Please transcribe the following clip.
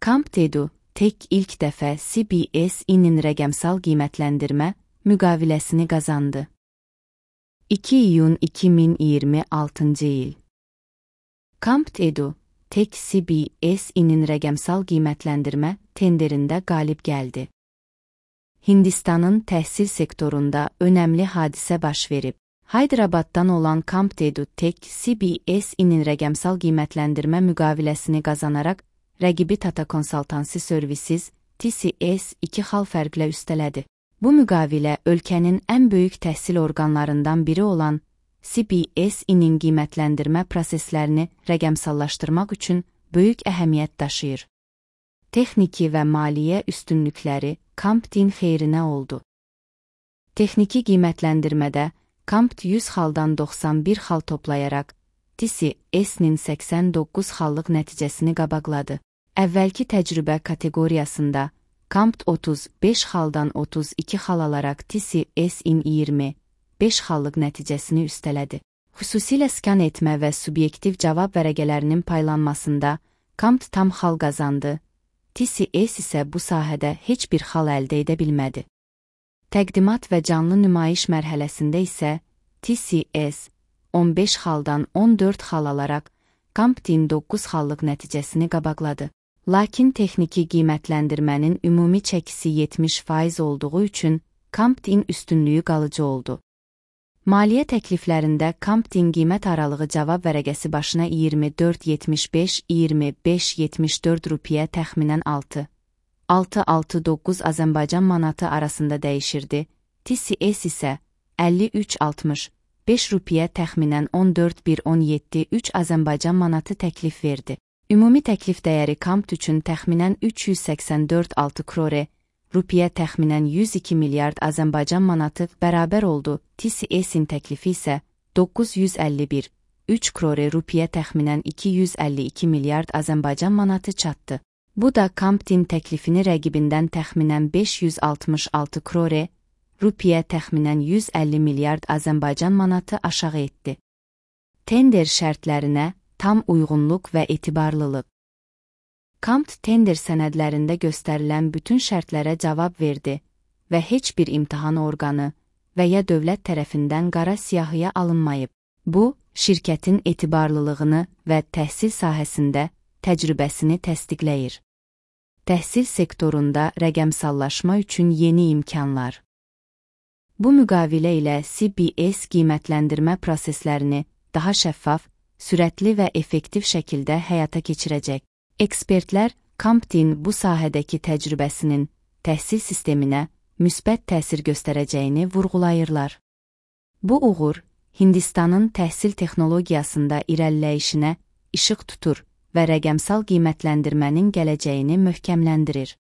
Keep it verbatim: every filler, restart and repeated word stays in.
CompTedu, Tech ilk dəfə C B S I'nin rəqəmsal qiymətləndirmə müqaviləsini qazandı. iki iyun iki min iyirmi altıncı il. CompTedu, Tech C B S I'nin rəqəmsal qiymətləndirmə tenderində qalib gəldi. Hindistanın təhsil sektorunda önəmli hadisə baş verib. Hyderabaddan olan CompTedu Tech C B S I'nin rəqəmsal qiymətləndirmə müqaviləsini qazanaraq rəqibi Tata Consultancy Services T C S iki xal fərqlə üstələdi. Bu müqavilə ölkənin ən böyük təhsil orqanlarından biri olan C B S I'nin qiymətləndirmə proseslərini rəqəmsallaşdırmaq üçün böyük əhəmiyyət daşıyır. Texniki və maliyyə üstünlükləri CompTin xeyrinə oldu. Texniki qiymətləndirmədə Compt yüz xaldan doxsan bir xal toplayaraq T C S'nin səksən doqquz xallıq nəticəsini qabaqladı. Əvvəlki təcrübə kateqoriyasında Compt otuz beş xaldan otuz iki xal alaraq T C S'in iyirmi beş xallıq nəticəsini üstələdi. Xüsusilə skan etmə və subyektiv cavab vərəqələrinin paylanmasında Compt tam xal qazandı. T C S isə bu sahədə heç bir xal əldə edə bilmədi. Təqdimat və canlı nümayiş mərhələsində isə T C S on beş xaldan on dörd xal alaraq CompTin doqquz xallıq nəticəsini qabaqladı. Lakin texniki qiymətləndirmənin ümumi çəkisi yetmiş faiz olduğu üçün CompTin üstünlüyü qalıcı oldu. Maliyyə təkliflərində CompTin qiymət aralığı cavab vərəqəsi başına iyirmi dörd yetmiş beş iyirmi beş yetmiş dörd rupiyə təxminən altı altı altı doqquz Azərbaycan manatı arasında dəyişirdi. T C S isə əlli üç altmış beş rupiyə təxminən on dörd bir on yeddi üç Azərbaycan manatı təklif verdi. Ümumi təklif dəyəri Compt üçün təxminən üç yüz səksən dörd altı krore, rupiyə təxminən yüz iki milyard Azərbaycan manatı bərabər oldu. T C S'in təklifi isə doqquz yüz əlli bir üç krore, rupiyə təxminən iki yüz əlli iki milyard Azərbaycan manatı çatdı. Bu da CompTin təklifini rəqibindən təxminən beş yüz altmış altı krore, rupiyə təxminən yüz əlli milyard Azərbaycan manatı aşağı etdi. Tender şərtlərinə tam uyğunluq və etibarlılıq. Compt tender sənədlərində göstərilən bütün şərtlərə cavab verdi və heç bir imtahan orqanı və ya dövlət tərəfindən qara siyahıya alınmayıb. Bu, şirkətin etibarlılığını və təhsil sahəsində təcrübəsini təsdiqləyir. Təhsil sektorunda rəqəmsallaşma üçün yeni imkanlar. Bu müqavilə ilə C B S qiymətləndirmə proseslərini daha şəffaf, sürətli və effektiv şəkildə həyata keçirəcək. Ekspertlər CompTin bu sahədəki təcrübəsinin təhsil sisteminə müsbət təsir göstərəcəyini vurğulayırlar. Bu uğur Hindistanın təhsil texnologiyasında irəliləyişinə işıq tutur və rəqəmsal qiymətləndirmənin gələcəyini möhkəmləndirir.